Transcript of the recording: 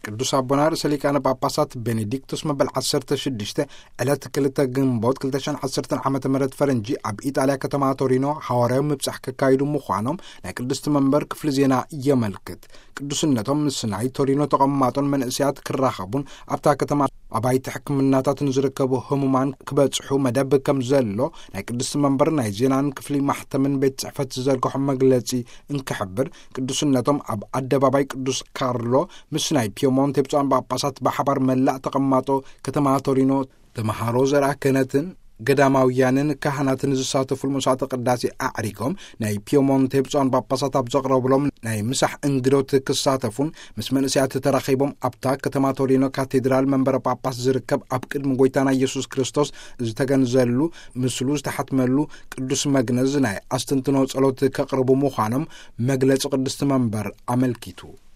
ቅዱስ ኣቦና ርእሰ ሊቃነ ጳጳሳት ቤኔዲክቶስ መበል ዓሰርተ ሽዱሽተ ዕለት ክልተ ግንቦት ክልተ ሽሕን ዓሰርተን ዓመተ ምህረት ፈረንጂ ኣብ ኢጣልያ ከተማ ቶሪኖ ሓዋርያዊ ምብጻሕ ከካይዱ ምዃኖም ናይ ቅድስቲ መንበር ክፍሊ ዜና የመልክት። ቅዱስነቶም ምስ ናይ ቶሪኖ ተቐማጦን መንእሰያት ክራኸቡን ኣብታ ከተማ ኣባይቲ ሕክምናታት ንዝርከቡ ህሙማን ክበጽሑ መደብ ከም ዘሎ ናይ ቅድስቲ መንበር ናይ ዜናን ክፍሊ ማሕተምን ቤት ጽሕፈት ዝዘርግሖ መግለጺ እንክሕብር፣ ቅዱስነቶም ኣብ ኣደባባይ ቅዱስ ካርሎ ምስ ናይ ፒየሞንቴ ብፁዓን ጳጳሳት ብሓባር መላእ ተቐማጦ ከተማ ቶሪኖ ተምሃሮ ዘርኣ ክህነትን ገዳማውያንን ካህናትን ዝሳተፉሉ መስዋዕተ ቅዳሴ ኣዕሪጎም፣ ናይ ፒየሞንቴ ብፁዓን ጳጳሳት ኣብ ዘቕረብሎም ናይ ምሳሕ እንግዶት ክሳተፉን ምስ መንእሰያት ተራኺቦም ኣብታ ከተማ ቶሪኖ ካቴድራል መንበረ ጳጳስ ዝርከብ ኣብ ቅድሚ ጎይታና ኢየሱስ ክርስቶስ ዝተገንዘሉ ምስሉ ዝተሓትመሉ ቅዱስ መግነዝ ናይ ኣስተንትኖ ጸሎት ከቕርቡ ምዃኖም መግለጺ ቅድስቲ መንበር ኣመልኪቱ።